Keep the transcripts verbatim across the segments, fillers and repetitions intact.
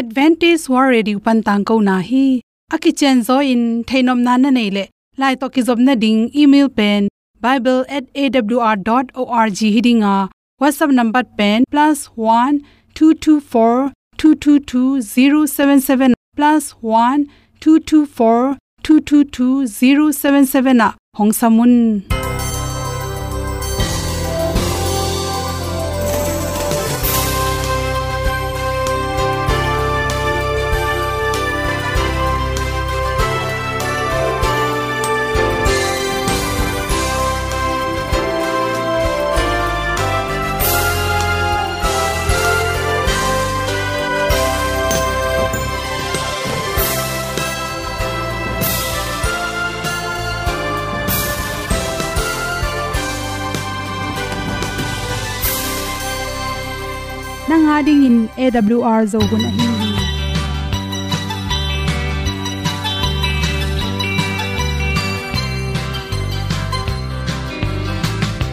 Adventist World Radio pan tangkona hi. A kicianzaw in theihnopna na neih leh, lai tawh kizopna ding email pen bible at A W R dot org hi ding a, WhatsApp number pen plus one two two four two two two zero seven seven, plus one two two four two two two zero seven seven ah hong sam un. Nang a dingin A W R Zo hun ahi hi.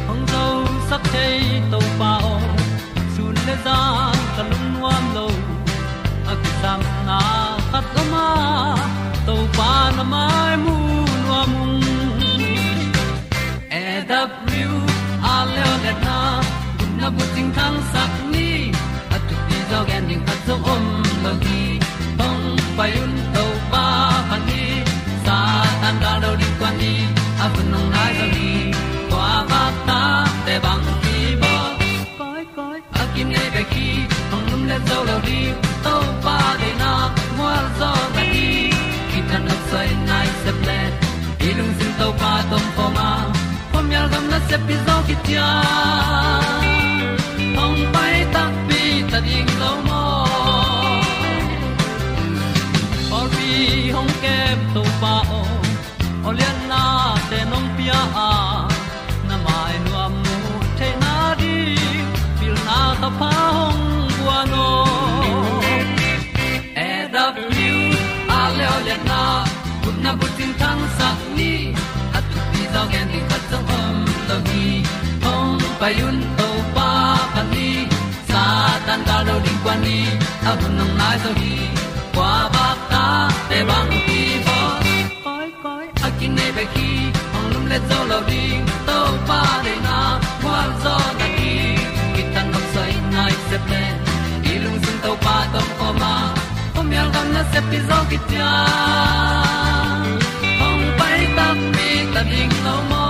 Hong zosak thei Topa aw, sun le zan ka lungnuam lo. A kisapna khat om a, Topa na mai mu nuam ung. A W R Leoliatna gupna bucing thangsak ni, a thupi zaw gen ding khat zong om lo hi. Hong pai un Topa phat ni, Satan gal do ding kuan ni, a hun hong nai zaw hi. Kua vak ta te bang kibawl. Koi, koi, a kinei bek hi, hong lumlet zo lo ding. Topa deihna mual zaw na hi. Kitang nok soi nai sep le, i lungsim Topa tawh om khawm a, khuamial gam nasep pi zaw kician. Hong pai takpi ta ding lo maw? Pawlpi hong kem Topa aw, aw liannate nong pia a, na mai nuam mu theihna ding pilna thapha hong guan aw. A W R Leoliatna gupna bucing thangsak ni, a thupi zaw gen ding khat zong om lo hi. Hong pai un Topa phat ni, Satan gal do ding kuan ni, a hun hong nai zaw hi. Kua vak ta te bang kibawl. Koi, koi, a kinei bek hi, hong lumlet zo lo ding. Topa deihna mual zaw na hi. Kitang nok soi nai sep le, i lungsim Topa tawh om khawm a, khuamial gam nasep pi zaw kician. Hong pai takpi ta ding lo maw?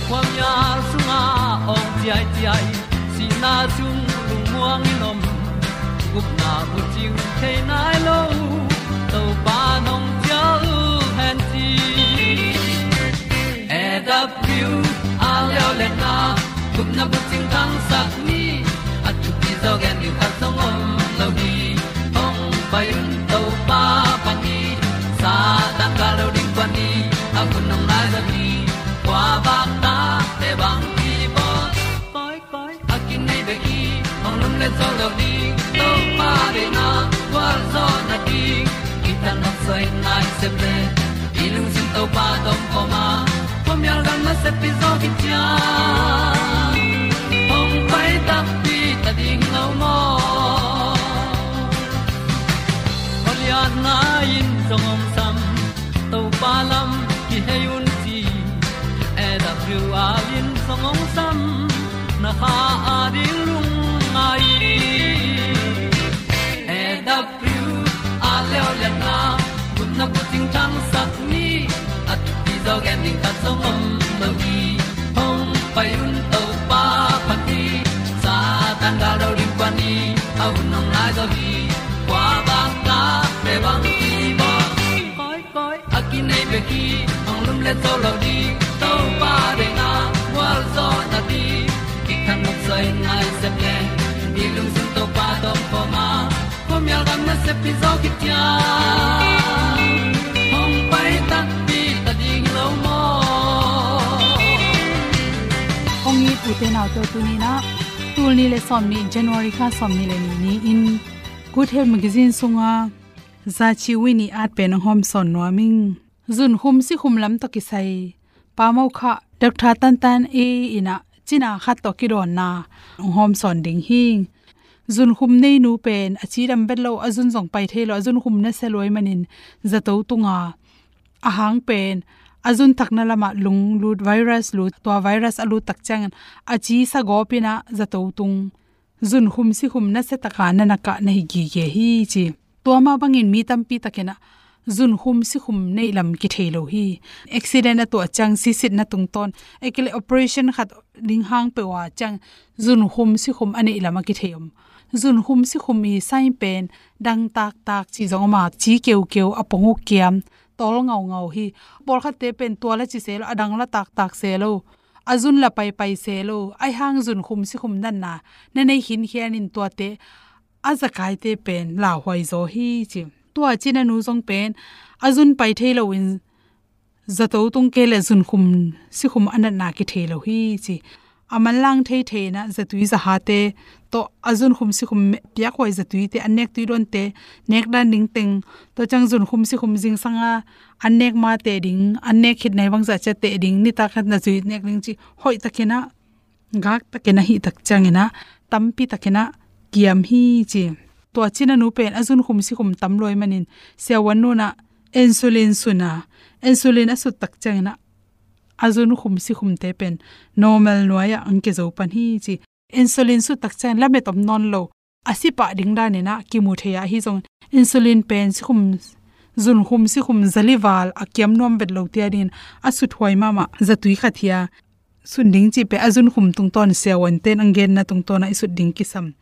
Khuamial sungah awng ciaiciai, sihna sung lungmuang in om, gupna bucing thei nai lo, Topa nong cial hen ci. A W R Leoliatna gupna bucing thangsak ni, a thupi zaw gen ding khat zong om lo hi. Hong pai un Topa phat ni, Satan gal do ding kuan ni, a hun hong nai zaw hi. Kua vak ta te bang kibawl. Koi, koi, a kinei bek hi, hong lumlet zo lo ding. Topa deihna gualzawhna ding, kitang nok soi nai sep le, i lungsim Topa tawh om khawm a, khuamial gam nasep pi zaw kician. Hong pai takpi ta ding lo maw? Khualiatna in zong hong sam, Topa lam kihei un ci. A W R in zong hong sam, na kha a ding lungngai. A W R Leoliatna gupna bucing thangsak ni, a thupi zaw gen ding khat zong om lo hi. Hong pai un Topa phat ni, Satan gal do ding kuan ni, a hun hong nai zaw hi. Kua vak ta te bang kibawl. Koi, koi, a kinei bek hi, hong lumlet zo lo ding. Topa deihna gualzawhna ding, kitang nok soi nai sep le, i lungsim Topa tawh om khawm a, khuamial gam nasep pi zaw kician. Hong pai takpi ta ding lo maw? Hong it u te nau te, tuni-in ah, tul nih le sawmnih, January kha sawmnih le nih ni-in Good Health Magazine sunga Zachi Wini at pen hong hawmsawn nuam ing. Zunkhum sikhum lam tawh kisai Pa Mo Kha, Doctor Tantan A in ah cina khat tawh kidawnna hong hawmsawn ding hi. Zunkhum neinu pen a cidam vet lo, a zun zong pai thei lo, a zunkhum nasia lua ahih manin zato tunga, a hang pen a zun thakna lamah lung lut, virus lut, tua virus a lut tak ciangin a ci sa gawp in ah zato tung, zunkhum sikhum nasia taka na nakah na hi gige hi ci. Tua mah bangin mi tampi takin ah zunkhum sikhum neih lam kithei lo hi. Accident a tuah ciang sisitna tungtawn, ahih kei leh operation khat ding hang peuh a ciang zunkhum sikhum a neih lam a kithei om. Zunkhum sikhum i sign pen dang taktak ci zong om a, ci keukeu, a pong uh kiam, tawl ngaungau hi. Pawlkhatte pen tua la ci se lo, a dang la taktak se lo, a zun la paipai se lo, ahih hang zunkhum sikhum natna na nei khinkhian in tuate a zakaite pen lauhuai zaw hi ci. Tua ci nanu zong pen a zun pai thei loin zato tung kei leh zunkhum sikhum a natna kithei lo hi ci. A manlang theithei in ah zatui zahate tawh a zunkhum sikhum piakhuai zatuite, an nek tui dawnte, nek dan ding teng, tua ciang zunkhum sikhum zingsang a an nek ma teh ding, an nek khit nai bangzah ciat teh ding, nitak khat na zui nek ding ci hoih takin ah, gak takin a hih tak ciangin ah tampi takin ah kiam hi ci. Tua ci nanu pen a zunkhum sikhum tam lua ahih manin siavuan nu in ah insulin sun a, insulin a sut tak ciangin ah a zunkhum sikhumte pen normal nuai ah ang kizo pan hi ci. Insulin sut tak ciangin lamet om nawn lo, a si pah ding danin ah kimu thei a, ahi zongin insulin pen sikhum, zunkhum sikhum zali val a kiam nuam vet lo tia dingin a suthuai mahmah zatui khat hi a, sun ding cih pen a zunkhum tungtawn siavuante in ang genna tungtawn ah i sut ding kisam.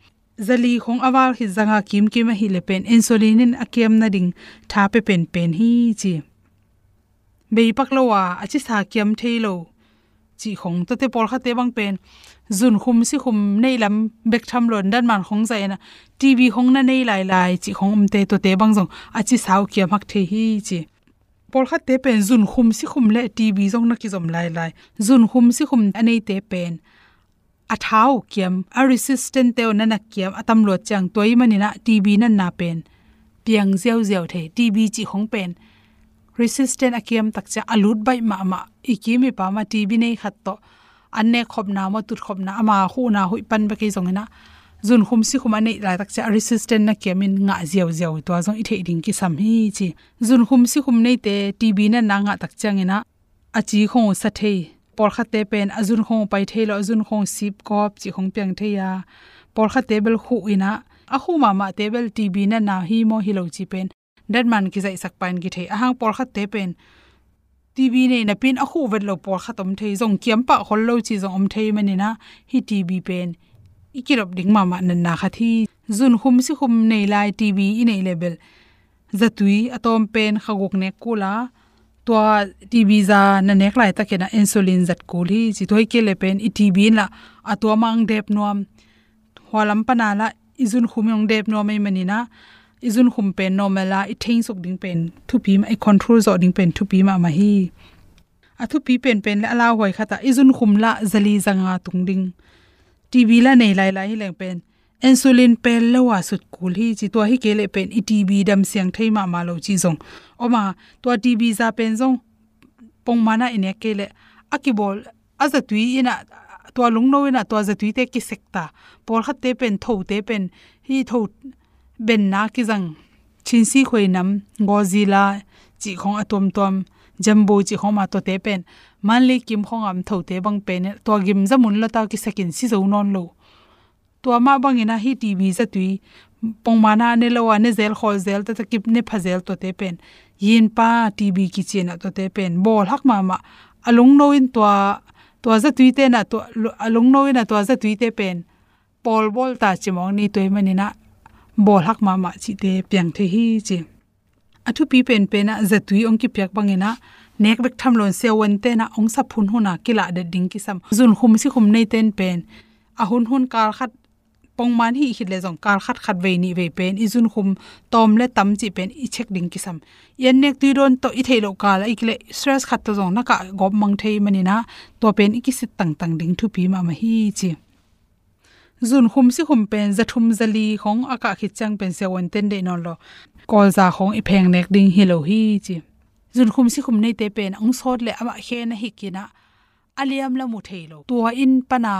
Zali khong a val khit zanga kimkim ahih leh pen insulin in a kiam nading tha pia penpen hi ci. Bei pak lo a, a cisa kiam thei lo cih khong, tuate pawlkhatte bang pen zunkhum sikhum neih lam bek tham lo in datman khong zah in ah TB khong na nei lailai cih khong omte, tuate bang zong a cisa uh kiam hak thei hi ci. Pawlkhatte pen zunkhum sikhum leh TB zong na kizom lailai. Zunkhum sikhum a neite pen a tha uh kiam, a resistant te uh na na kiam a tam luat ciang, tua ahih manin ah TB natna pen piang ziauziau thei. TB cih khong pen resistant a kiam tak ciang a lut baih mahmah, i kim i pam ah TB nei khat tawh an nek khopna maw, tut khopna, ama khuhna huih pan bek hi zongin ah zunkhum sikhum a neih laitak ciang a resistant na kiam in ngah ziauziau, tua zong i theih ding kisam hi ci. Zunkhum sikhum neite TB natna ngah tak ciangin ah a ci khong uh sa thei. Pawlkhatte pen a zun khong uh pai thei lo, a zun khong uh sip gawp cih khong piang thei a, pawlkhatte bel khuh in ah, a khuh mahmahte bel TB natna hi maw hi lo cih pen datman kizaihsak pah in kithei. Ahang pawlkhatte pen TB nei napi in a khuh vet lo pawlkhat om thei, zong kiam pah khol lo cih zong om thei manin ah hih TB pen i kidop ding mahmah natna khat hi. Zunkhum sikhum nei lai TB i neih leh bel zatui a tawm pen kha guk nek kul a, tua TB za na nek laitakin ah insulin zat kul hi ci. Tua hi kei leh pen i TB in lah a tuam ah ang dep nuam, hua lam pan a lah i zunkhum in ang dep nuam ahih manin ah i zunkhum pen normal a i thengsuk ding pen thupi mah, i control zawh ding pen thupi mahmah hi. A thupi penpen leh a lauhuai khat ah i zunkhum lah zali zanga tung ding. TB lah nei lailai hi leng pen insulin pel lo a sut kul hi ci. Tua hi kei leh pen i TB dam siang thei mahmah lo cih zong om a, tua TB za pen zong pongman ah i nek kei leh a kibawl, a zatui in ah, tua lungno in ah tua zatuite kisek ta. Pawlkhatte pen thote pen, hih tho benna kizang, Chin sikhuai nam, Godzilla cih khong a tuamtuam, Jumbo cih khong om a, tuate pen Manley kim khong a om thote bang pen tua gim za mun lo ta, kisek in si zo nawn lo. Tua mah bangin ah hih TB zatui pongman ah ne lo a, ne zel khawl zel, tata kip ne pha zel, tuate pen yinpa TB kici in ah tuate pen bawlhak mahmah. A lungno in tua, tua zatuite in ah tua, a lungno in ah tua zatuite pen pawl bawl ta ci mawk ni, tua ahih manin ah bawlhak mahmah cihte piang thei hi ci. A thupi penpen ah zatui hong kipiak bangin ah nek bek tham lo in siavuante in ah hong sap hunhun a kilah det ding kisam. Zunkhum sikhum neite in pen a hunhun kal khat, pongman hih khit leh zong kal khat khat vei nih vei pen i zunkhum tawm leh tam cih pen i check ding kisam. I an nek tui dawn tawh i theih loh kal ah i kileh stress khat tawh zong na kah gawp mang thei manin ah tua pen i kisit tangtang ding thupi mahmah hi ci. Zunkhum sikhum pen za thum za li khong a kah khit ciang pen siavuante in deih nawn lo, kawlza khong i pheng nek ding hi lo hi ci. Zunkhum sikhum neite pen hong sawt leh amah khe na hik in ah a liam la mu thei lo. Tua in pan a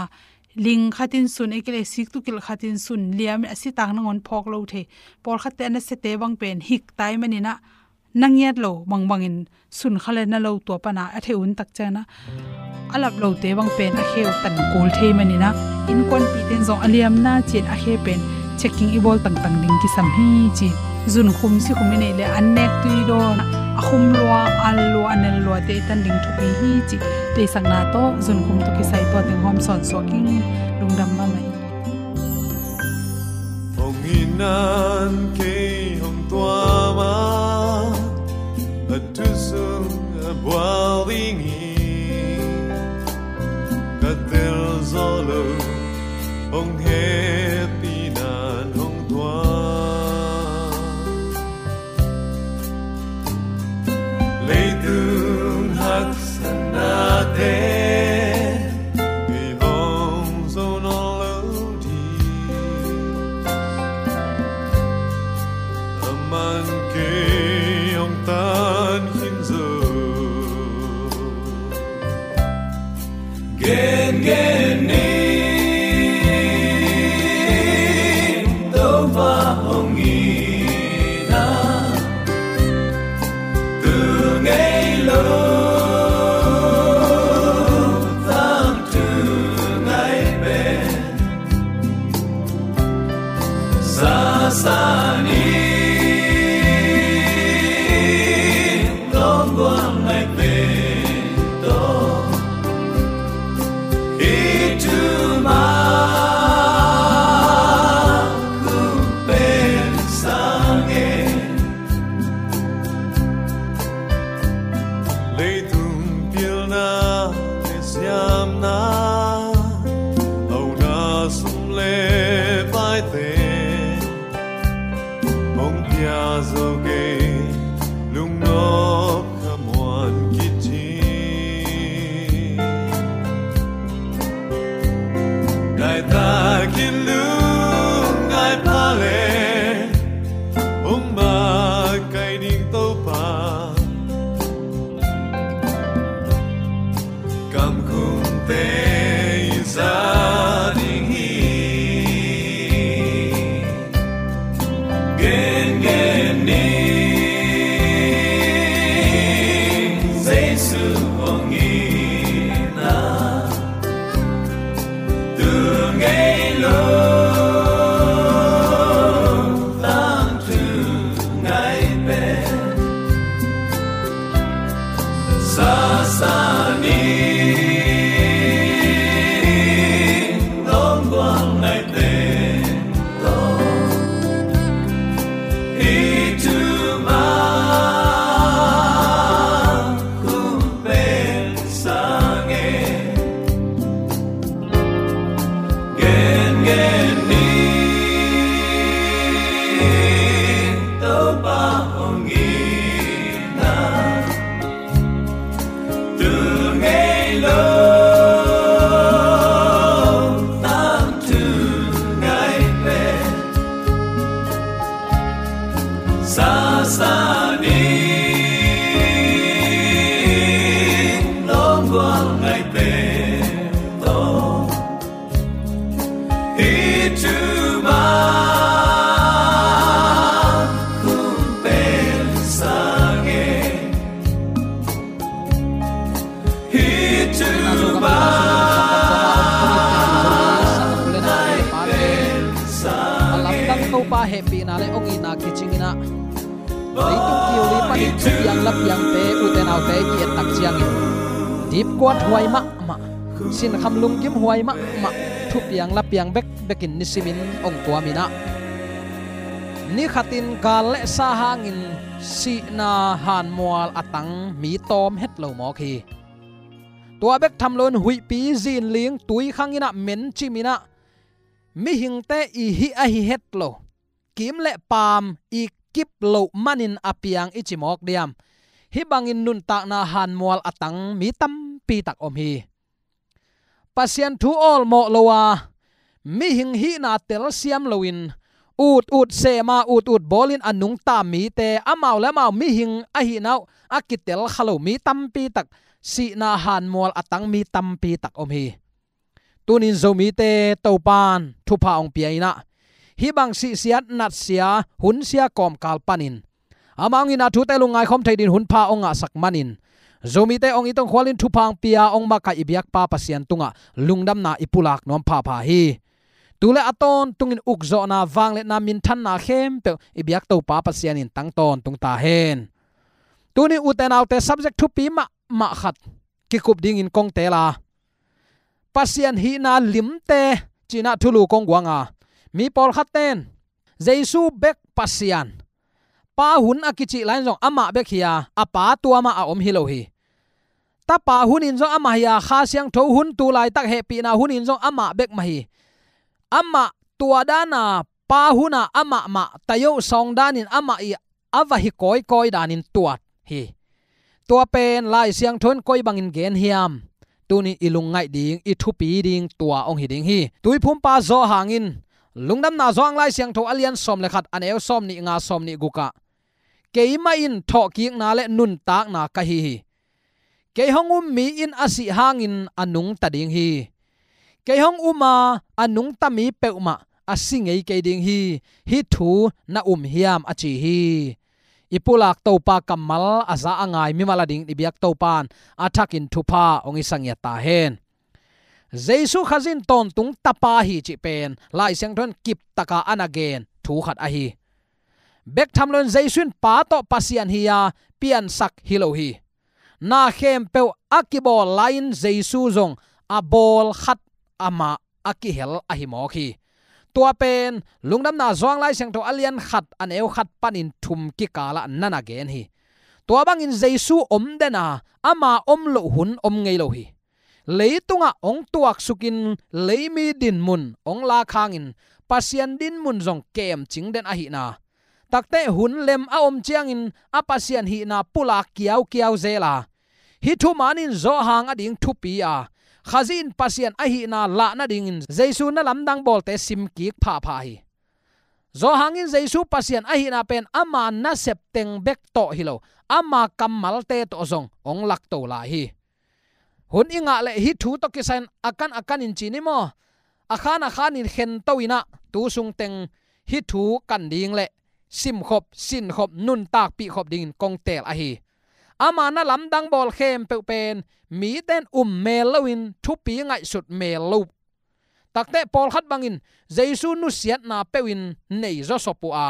ling khatin sun, ei kei le siktukilh khatin sun liam in a sitak nangawn phawk lo thei. Pawlkhatte a nasiate bang pen hik tai maninah na ngiat lo bangbangin sun kha le na lo tua pana a thei un tak ciangna a lap lote bang pen a kheu tan kul thei maninah innkuanpihte in zong a liamna cian a khe pen checking i bawl tangtang ding kisam hi ci. Zunkhum sikhum i neih le an nek tui dawn a khum lua, al lua, a nel luate i tan ding thupi hi ci. Teisakna tawh zunkhum tawh kisai tua teng hawm sawn suak ing. Lungdam mahmah ing. Hong inan kei hong tuam a, a thu sung a bual ding hi. Ka tel zaw lo, hong hehpihna in hong tuam. Leitung haksatnate i hong zo nawn lo ding, a man kei hong tan khin zo. Gen, gen ni, Topa hong inan, tu ngei lo, tangthu ngai pen. Sasani, longguang ngai pen to. Itu ma ku pen sange. Leitung pilna le siamna, auna sum le paite, hong pia zo kei, lungnop khamuan kit hi. Ngai takin lungngai pha le, hong makaih ding Topa. Kamkhumte i za ding hi. Gen, gen ni, Jesu hong inan, tu ngei lo, tangthu ngai pen. Sasani, longguang ngai pen to. Itu ma ku pen sange. Gen, gen ni, Topa hong inan, tu ngei lo, tangthu ngai pen. Sasani, longguang ngai pen to. Itu ma ku pen sange. Itu ma ngai pen sange. A lamdang Topa hehpihna le hong itna kicingin ah, leitung kiuli panin thupiang lapiangte, ute naute ki-ettak ciangin dipkuat huai mahmah, sinkham lunggim huai mahmah, thupiang lapiang bekbekin nisimin hong tuamin ah, nikhatin gal le sa hangin sihna hanmual a tang mi tawm het lo mawk hi. Tua bek tham loin huihpi, zinling, tuikhang in ah mencimin ah, mihingte i hih ahi het lo, kiim le paam i kip loh manin a piang i ci mawk diam? Hih bangin nuntakna hanmual a tang mi tampi tak om hi. Pasian thu awlmawh lo a, mihing hihna telsiam loin, ut ut sem a, ut ut bawlin a nungta mite, amau le amau mihing ahihna uh a kitel kha lo mi tampi tak, sihna hanmual a tang mi tampi tak om hi. Tunin Zomite Topan thupha hong pia in ah, hih bang sihsiat natsia hunsia kawmkal panin amah hong itna thute lungngai khawm thei dingin hunpha hong ngahsak manin, Zomite hong it hong khualin thupha hong pia hong makaih i biakpa Pasian tungah lungdamna i pulak nuam phapha hi. Tu le a tawntungin ukzawhna, vangliatna, minthanna khempeuh i biak Topa Pasian in tang tawntung ta hen. Tuni ute naute, subject thupi mahmah khat kikup dingin kong teel a, Pasian hihna limte ci-in ah thulu kong guang a, mi pawlkhat ten Jesu bek Pasian, Pa hun a kicih lai-in zong amah bek hi a, a Pa tua mah a om hi lo hi. Tapa hunin zong amah hi a, Kha Siangtho hun, tu laitak hehpihna hunin zong amah bek mah hi. Amah tua dan a Pa hun a amah mah, tayo sawng danin amah ii a va hi kawikawi danin tuat hi. Tua pen Lai Siangtho in koi bangin gen hiam? Tuni i lungngaih ding, i thupi ding tua hong hi ding hi. Tuiphumpa Johan in, Lungdamna Johan Lai Siangtho a lian sawm le khat, a neu sawmnih nga, sawmnih guk ah, "Keimah in thawhkikna le nuntakna ka hi hi. Kei hong um mi in a sih hangin a nungta ding hi. Kei hong um a, a nungta mi peuhmah a si ngei kei ding hi. Hih thu na um hiam?" a ci hi. I pulak Topa kammal a za a ngai mimal adingin i biak Topan a thakin thupha hong hisak ngiat ta hen. Jesu Khazih in tawntung Tapa hi cih pen Lai Siangtho in kiptaka a na gen thu khat ahi. Bek tham loin Jesu in Pa tawh Pasian hi a, piansak hi lo hi. Na khempeuh a kibawl lai-in Jesu zong a bawl khat amah a kihel ahi mawk hi. Tua pen Lungdamna Johan Lai Siangtho a lian khat, a neu khat panin thum kikalah na na gen hi. Tua bangin Jesu om den a, ama om loh hun om ngei lo hi. Leitungah hong tuaksukin leimi dinmun hong lak hangin Pasian dinmun zong kemcing den ahihna, takte hun lem a om ciangin a Pasian hihna pulak kiaukiau zel a, hih thuman in Johan ading thupi a, Khazih in Pasian ahihna lah nadingin Jesu na lamdang bawlte simkik phapha hi. Johan in Jesu Pasian ahihna pen ama nasep teng bek tawh hi lo, ama kammalte tawh zong hong lakto lai hi. Hun i ngah leh hih thu tawh kisai-in a kan a kanin ci ni maw, a khan a khanin khento in ah, tu sung teng hih thu kan ding le simkhop, sinkhop, nuntakpih khop dingin kong teel ahi. Ama na lamdang bawl khempeuh pen mite in um mel loin thupi ngaihsut mel lo. Takte pawlkhat bangin Jesu nusiatna peuhin nei zawsop uh a,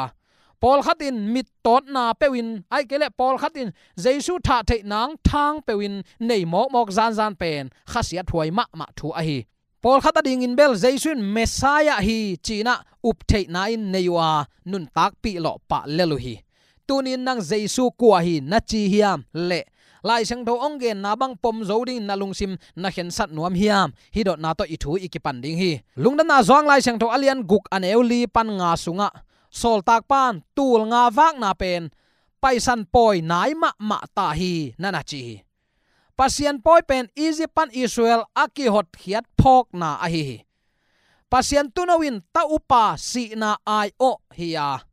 pawlkhat in mittawtna peuhin, ahih kei leh pawlkhat in Jesu thahtheih nangthang peuhin nei mawkmawk zanzan pen khasiathuai mahmah thu ahi. Pawlkhat adingin bel Jesu in Messiah hi ci-in ah uptheihna in nei uh a, nuntakpih lawh pah lel uh hi. Tunin nang Jesu kua hi na ci hiam? Leh Lai Siangtho hong genna bang pom zo dingin na lungsim na khensat nuam hiam? Hih dotna tawh i thu i kipan ding hi. Lungdamna Johan Lai Siangtho a lian guk, a neu li pan nga sungah sawltakpa'n tul nga vakna pen Paisan pawi nai mahmah ta hi, na na ci hi. Pasian pawi pen Egypt pan Israel a kihotkhiat phawkna ahi hi. Pasian tuuno in ta upa sihna aiawh hi a,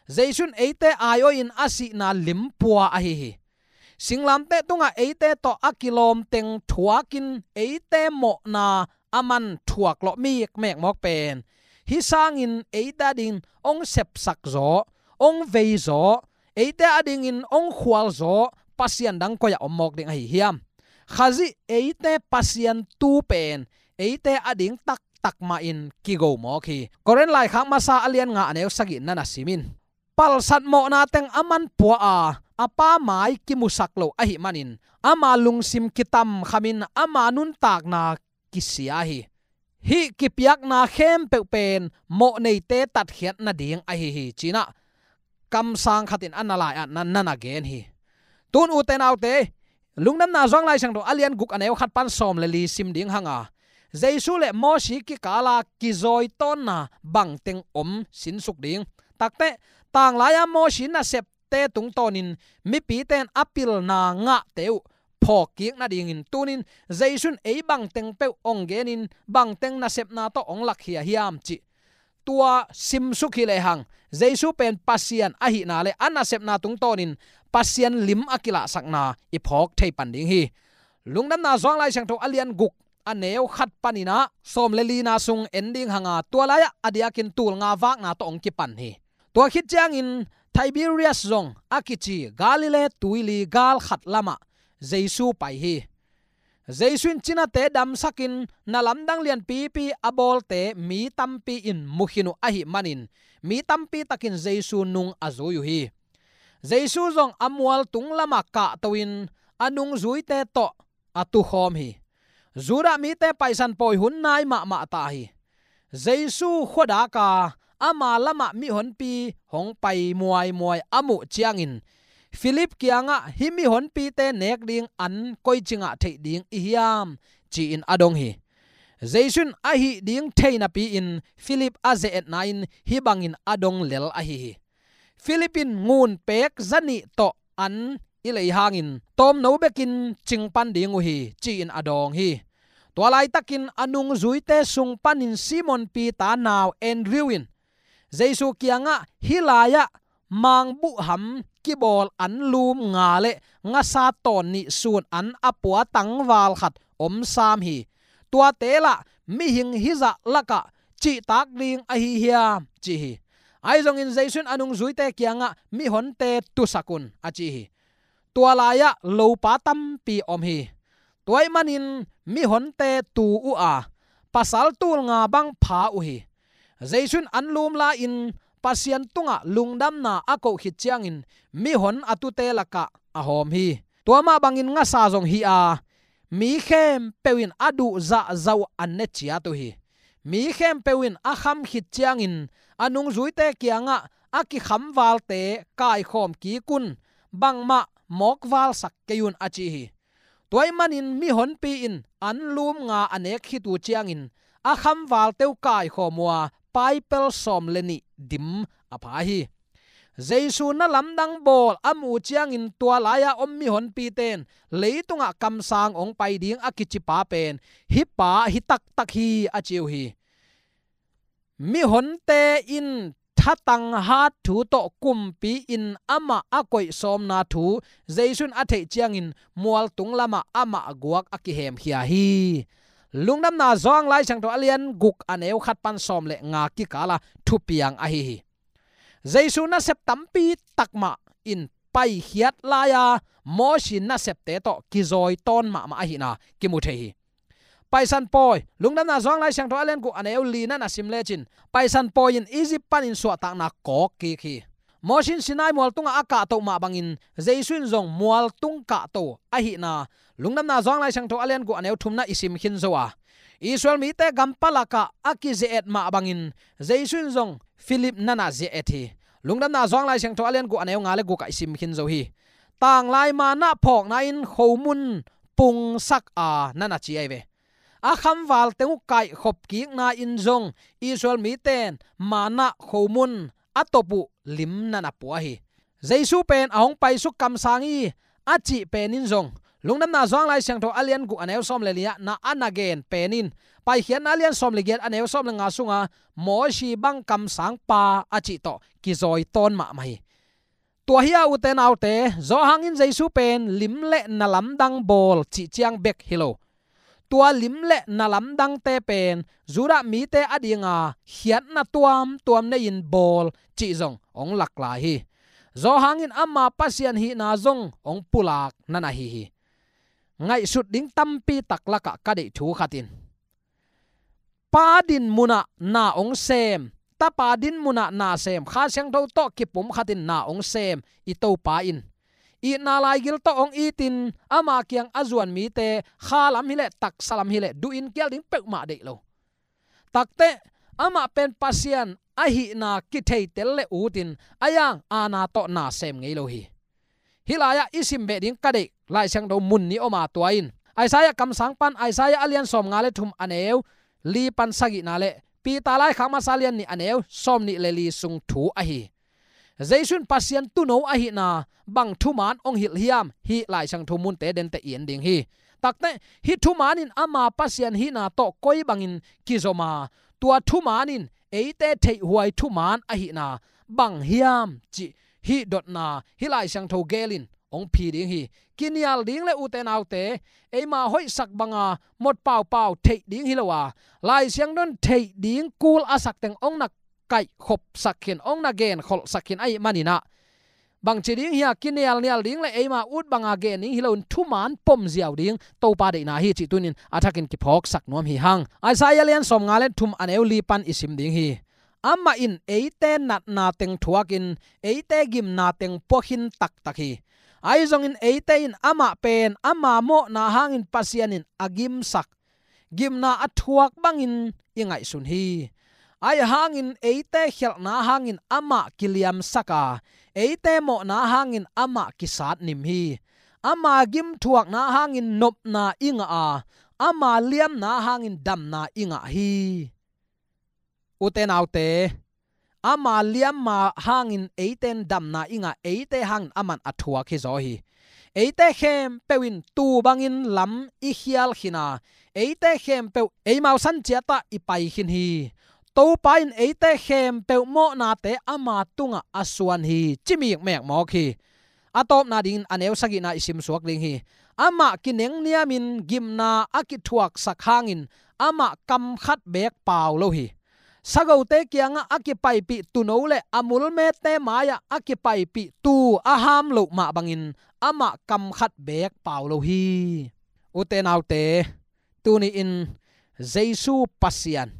Jesu in eite aiawhin a sihna limpua ahi hi. Singlamteh tungah eite tawh a kilawm teng thuakin eite mawhna a man thuak lawh mikmek mawk pen hih sangin eite adingin hong sepsak zaw, hong vei zaw, eite adingin hong khual zaw Pasian dang koi-ah om mawk ding ahi hiam? Khazih eite Pasian tu pen eite ading taktak mahin kigo mawk hi. Korin laikhak masa a lian nga, a neu sagih na na sim in. Palsat mawhna teng a man pua a, a Pa mai kimusak lo ahih manin ama lungsim kitamkhamin ama nuntakna kisia hi. Hih kipiakna khempeuh pen mawhneite tatkhiat nading ahi hi, ci-in ah kamsang khatin a na lai-ah na na gen hi. Tun ute naute, Lungdamna Johan Lai Siangtho a lian guk, a neu khat pan sawm le li sim ding hang a, Jesu le Mosi kikala kizawitawnna bangteng om sinsuk ding. Takte, tanglai-a Mosi nasepte tungtawnin mipite in a pilna ngahte uh phawkkik nadingin tunin Jesu in ei bangteng peuh hong genin bangteng nasepna tawh hong lakkhia hiam cih tua simsuk hi lehang, Jesu pen Pasian ahihna le a nasepna tungtawnin Pasian lim a kilahsakna i phawk thei pan ding hi. Lungdamna Johan Lai Siangtho a lian guk, a neu khat panin ah sawm le lina sung en ding hang a, tua lai-ah a diakin tul nga vakna tawh hong kipan hi. Tua khit ciangin Tiberias zong a kici Galilee tuili gal khat lamah Jesu pai hi. Jesu in cinate damsakin na lamdang lianpipi a bawlte mi tampi in mu khin uh ahih manin mi tampi takin Jesu nung a zui uh hi. Jesu zong a mualtung lamah kahto-in a nungzuite tawh a tukhawm hi. Judah mite Paisan pawi hun nai mahmah ta hi. Jesu khuadak a ama lamah mihonpi hong pai muaimuai a muh ciangin Philip kiangah, "Hih mihonpite nek ding an koi cingah theih ding i hiam?" ci-in a dong hi. Jesu in a hih ding thei napi-in Philip a ze-etna in hih bangin a dong lel ahi hi. Philip in ngun pek zanih tawh an i lei hangin tawmno bekin cing pan ding uh hi, ci-in a dawng hi. Tua laitakin a nungzuite sung panin Simon Peter nau Andrew in Jesu kiangah, "Hih lai-ah mangbuhham kibawl anlum nga le ngasa tawn nih sun an a pua tangval khat om sam hi. Tuate lah mihing hizah lakah cihtak ding ahi hiam?" ci hi. Ahi zongin Jesu in a nungzuite kiangah, "Mihonte tusak un," a ci hi. Tua lai-ah lopa tampi om hi. Tua ahih manin mihonte tu uh a, pasal tul nga bang pha uh hi. Jesu in anlum la-in Pasian tungah lungdamna a koh khit ciangin mihon a tute lakah a hawm hi. Tua mah bangin ngasa zong hi a, mi khempeuh in a duh zahzah uh an ne ciat uh hi. Mi khempeuh in a kham khit ciangin a nungzuite kiangah, "A kikhamvalte kaikhawm kik un, bangmah mawkvalsak kei un," a ci hi. Tua ahih manin mihonpi in anlum nga a nek khit uh ciangin a khamvalte uh kaikhawm uh a, paipel sawm le nih dim a pha hi. Jesu na lamdang bawl a muh uh ciangin tua lai-a om mihonpite in leitungah kamsang hong pai ding a kici pa pen hih pa hi taktak hi, a ci uh hi. Mihonte in thatang hat thu tawh kumpi-in amah a koih sawmna thu Jesu in a theih ciangin mualtung lamah amah guak a kihemkhia hi. Lungdamna Johan Lai Siangtho a lian guk a neu khat pan sawm le nga kikala thupiang ahi hi. Jesu nasep tampi takmah in paikhiat lai-a Mosi nasepte tawh kizawi tawn mahmah ahihna kimu thei hi. Paisan pawi, Lungdamna Johan Lai Siangtho a lian guk a neu li na na sim lecin, Paisan pawi in Egypt panin suahtakna kawk kik hi. Mosi in Sinai mual tungah a kahtoh mah bangin Jesu in zong mualtung kahto ahihna Lungdamna Johan Lai Siangtho a lian guk a neu thumna i sim khin zo a, Israel mite gampa lakah a kize-et mah bangin Jesu in zong Philip na na ze-et hi. Lungdamna Johan Lai Siangtho a lian guk a neu nga le gukah i sim khin zo hi. Tanglai manna phawkna in khomun pungsak a na na ci ahi ve. A khamvalte uh kaihkhop kikna in zong Israel mite in manna khomun a top uh lim na na pua hi. Jesu pen a hong paisuk kamsang hi a cih pen in zong Lungdamna Johan Lai Siangtho a lian guk a neu sawm le li-ah na a na gen pen in Paikhiatna a lian sawm le giat a neu sawm le nga sunga Mosi bang kamsang pa a cih tawh kizawi tawn mahmah hi. Tua hi a, ute naute, Johan in Jesu pen lim le na lamdang bawl cih ciang bek hi lo. Tua lim le na lamdangte pen Judah mite a dinga khiatna tuamtuam nei-in bawl cih zong hong lak lai hi. Johan in ama Pasian hihna zong hong pulak na na hi hi. Ngaihsut ding tampi tak lakah ka deih thu khat in, Pa din munah na hong sem, Tapa din munah na sem, Kha Siangtho tawh kipumkhatin na hong sem i Topa in itna laigil tawh hong itin ama kiang a zuan mite kha lam hileh taksa lam hileh duhin kial ding peuhmah deih lo. Takteh amah pen Pasian ahihna kitheitel le utin a yang aana tawh na sem ngei lo hi. Hih lai-ah i sim beh ding ka deih Lai Siangtho mun nih om a, tua in Isaiah kamsang pan Isaiah a lian sawm nga le thum a neu li pan sagihna le Peter laikhak masa lian nih a neu sawm nih le li sung thu ahi. Jesu in Pasian tuuno ahihna bang thuman hong hilh hiam, hih Lai Siangtho munte dente i en ding hi. Takteh hih thuman in ama Pasian hihna tawh koi bangin kizom a, tua thuman in eite theihhuai thuman ahihna bang hiam cih hih dotna hih Lai Siangtho gel in hong phi ding hi. Kinial ding le ute naute, eima hoihsak banga mot paupau theih ding hi lo a, Lai Siangtho in theih ding kul a sak teng hong na kaihkhopsak khin, hong na genkholhsak khin ahih manin ah, bangci ding hi a, kinialnial ding le eima ut banga gen ding hi loin thuman pom ziau ding Topa deihna hi cih tunin a thakin kiphawksak nuam hi hang. Isaiah lian sawmnga le thum, a neu li pan i sim ding hi. Amah in eite natna teng thuakin eite gimna teng pua khin taktak hi. Ahi zongin eite in amah pen ama mawhna hangin Pasian in a gimsak, gimna a thuak bangin i ngaihsun hi. Ahi hangin eite khialhna hangin amah kiliamsak a, eite mawhna hangin amah kisatnim hi. Ama gimthuakna hangin nopna i ngah a, ama liamna hangin damna i ngah hi. Ute naute, ama liamma hangin eite in damna i ngah, eite hangin aman a thuak hi zaw hi. Eite khempeuh in tuu bangin lam i khial khin a, eite khempeuh eimau san ciatah i pai khin hi. Topa in eite khempeuh mawhnate ama tungah a suan hi, ci mikmek mawk hi. A tawpna dingin a neu sagihna i simsuak ding hi. Amah kinengniamin gimna a kithuaksak hangin amah kam khat beek pau lo hi. Sagote kiangah a kipaipih tuuno le a mulmete mai-ah a kipaipih tuu a ham loh mah bangin amah kam khat beek pau lo hi. Ute naute, tuni-in Jesu Pasian,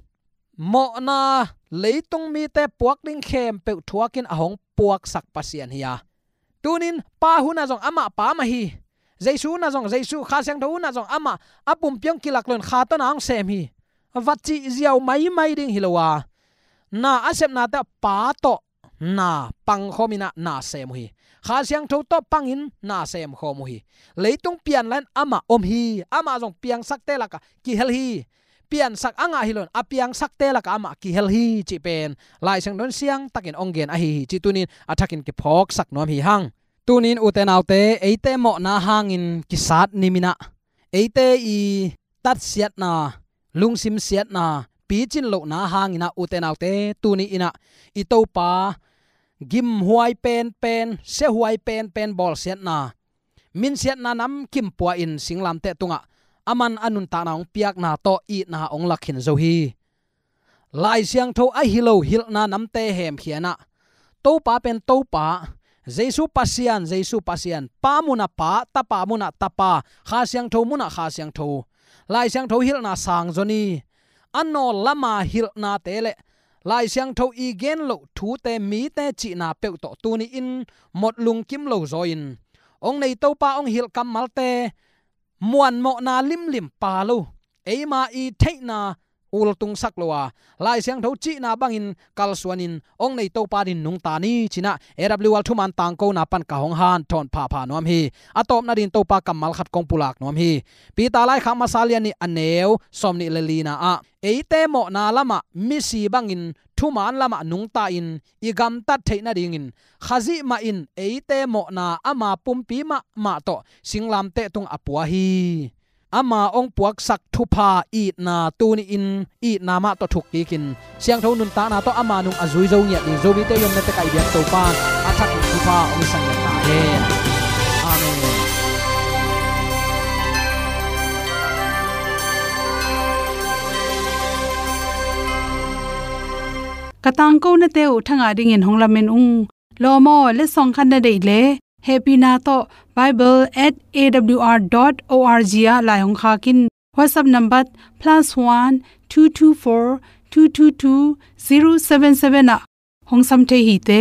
mawhna leitung mite puak ding khempeuh thuakin a hong puaksak Pasian hi a, tunin Pa hunah zong amah Pa mah hi. Jesu hunah zong Jesu, Kha Siangtho hunah zong amah, a pumpi hong kilak loin Kha tawh na hong sem hi, va cih ziau maimai ding hi lo a, na a sepnate Pa tawh na pangkhawm in ah na sem uh hi. Kha Siangtho tawh pangin na semkhawm uh hi. Leitung pian lai-in amah om hi. Amah zong piangsakte lakah kihel hi. Piansak a ngah hi loin a piangsakte lakah amah kihel hi cih pen Lai Siangtho in siangtakin hong gen ahi hi cih tunin a thakin kiphawksak nuam hi hang. Tunin ute naute, eite mawhna hangin kisatnim in ah, eite i tatsiatna, lungsim siatna, picin lohna hangin ah ute naute, tuni-in ah i Topa gimhuai penpen, siahuai penpen bawlsiatna, minsiatna namkim pua-in singlamteh tungah aman a nuntakna hong piakna tawh itna hong lak khin zo hi. Lai Siangtho ahi lo hilhna namte hemkhia in ah, Topa pen Topa, Jesu Pasian, Jesu Pasian, Pa munah Pa, Tapa munah Tapa, Kha Siangtho munah Kha Siangtho, Lai Siangtho hilhna sang zaw ni. A nawl lama hilhnate le Lai Siangtho i gen loh thute mite cihna peuh tawh tuni-in mot lungkim lo zaw-in, hong nei Topa hong hilh kammalte muanmawhna limlim pa lo, eima i theihna ultungsak lo a, Lai Siangtho cihna bangin kalsuanin hong nei Topa dingin nungta ni ci-in ah A W R thuman tangkona pan ka hong hanthawn phapha nuam hi. A tawpna dingin Topa kammal khat kong pulak nuam hi. Peter laikhak masa lian nih, a neu sawmnih le lina ah, eite mawhna lamah misi bangin thuman lamah nungta-in i gamtat theih nadingin Khazih mah in eite mawhna ama pumpi mahmah tawh singlamteh tung a pua hi. Ama hong puaksak thupha itna tuni-in itna mah tawh thuk kikin, siangtho nuntakna tawh ama nung a zui zo ngiat ding Zomite i omna tekah i biak Topa in a thakin thupha hong hisak ngiat ta hen. Amen. Ka tangkonate uh thangah dingin hong lamen ung. Lawm aw, letsong khat na deih leh, hehpihna tawh bible at A W R dot O R G ah lai hong khak in. WhatsApp number plus one two two four two two two zero seven seven ah hong sam thei hi te.